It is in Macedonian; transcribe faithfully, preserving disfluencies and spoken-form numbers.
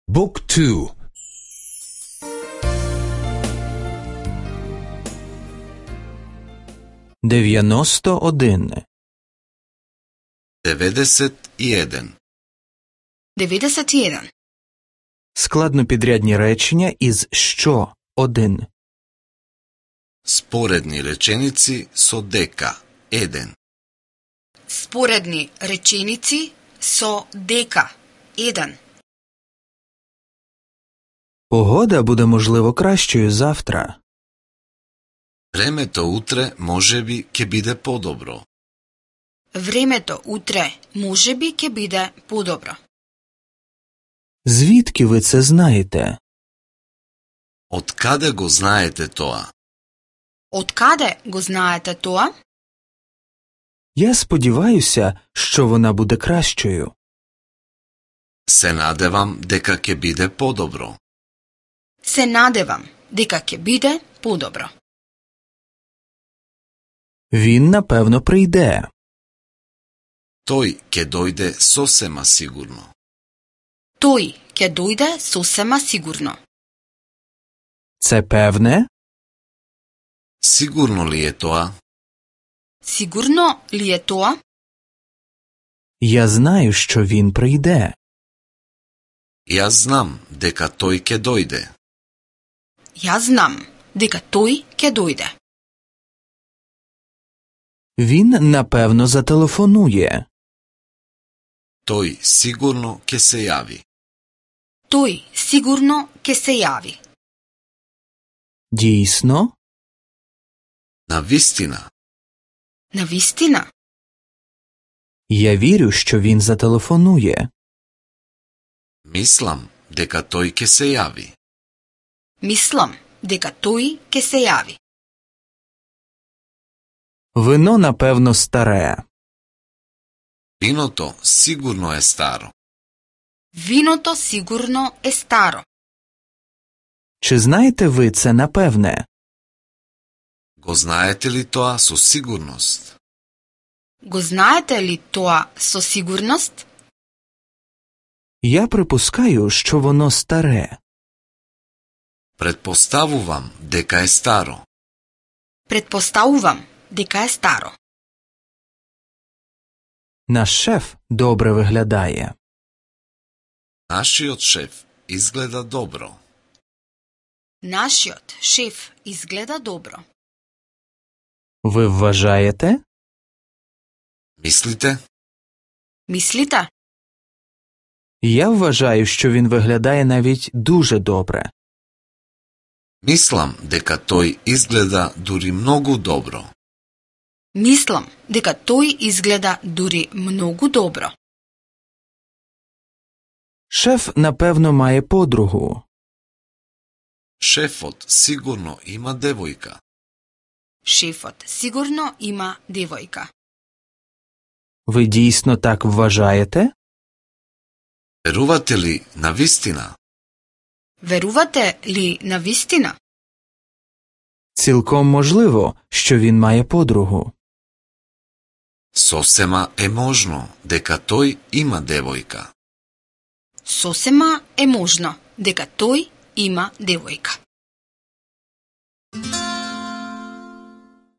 Book two. дев'яносто один. деведесет и еден. деведесет и еден. Складнопідрядні речення із що один. Споредни реченици со дека еден. Споредни реченици со дека еден. Погода буде, можливо, кращою завтра. Времето утре можеби ќе биде подобро. Времето утре можеби ќе биде подобро. Звідки ви це знаєте? Од каде го знаете тоа? Од каде го знаете тоа? Я сподіваюся, що вона буде кращою. Се надевам дека ќе биде подобро. Се надевам дека ќе биде подобро. Він, напевно, прийде. Тој ќе дојде сосема сигурно. Тој ќе дојде сосема сигурно. Це певне? Сигурно ли е тоа? Сигурно ли е тоа? Я знаю, що він прийде. Јас знам дека тој ќе дојде. Јас знам дека тој ќе дојде. Він, напевно, зателефонує. Тој сигурно ќе се јави. Тој сигурно ќе се јави. Дійсно? Навистина, Навистина? Я вірю, що він зателефонує. мислам дека тој ќе се јави. Мислам дека тој ќе се јави. Вино, напевно, старе. Виното сигурно е старо. Виното сигурно е старо. Чи знаєте ви це напевне? Го знаете ли тоа со сигурност? Го знаете ли тоа со сигурност? Я припускаю, що воно старе. Предпоставувам дека е старо. Предпоставувам дека е старо. Наш шеф добре виглядає. Нашиот шеф изгледа добро. Нашиот шеф изгледа добро. Ви вважаєте? Мислите? Мислите? Я вважаю, що він виглядає навіть дуже добре. Мислам дека тој изгледа дури многу добро. Мислам дека тој изгледа дури многу добро. Шеф, напевно, має подругу. Шефот сигурно има девојка. Шефот сигурно има девојка. Ви дійсно так вважаєте? Верувате ли навистина? Верувате ли навистина? Цілком можливо, що він має подругу. Сосема е можно дека тој има девојка. Сосема е можно дека тој има девојка.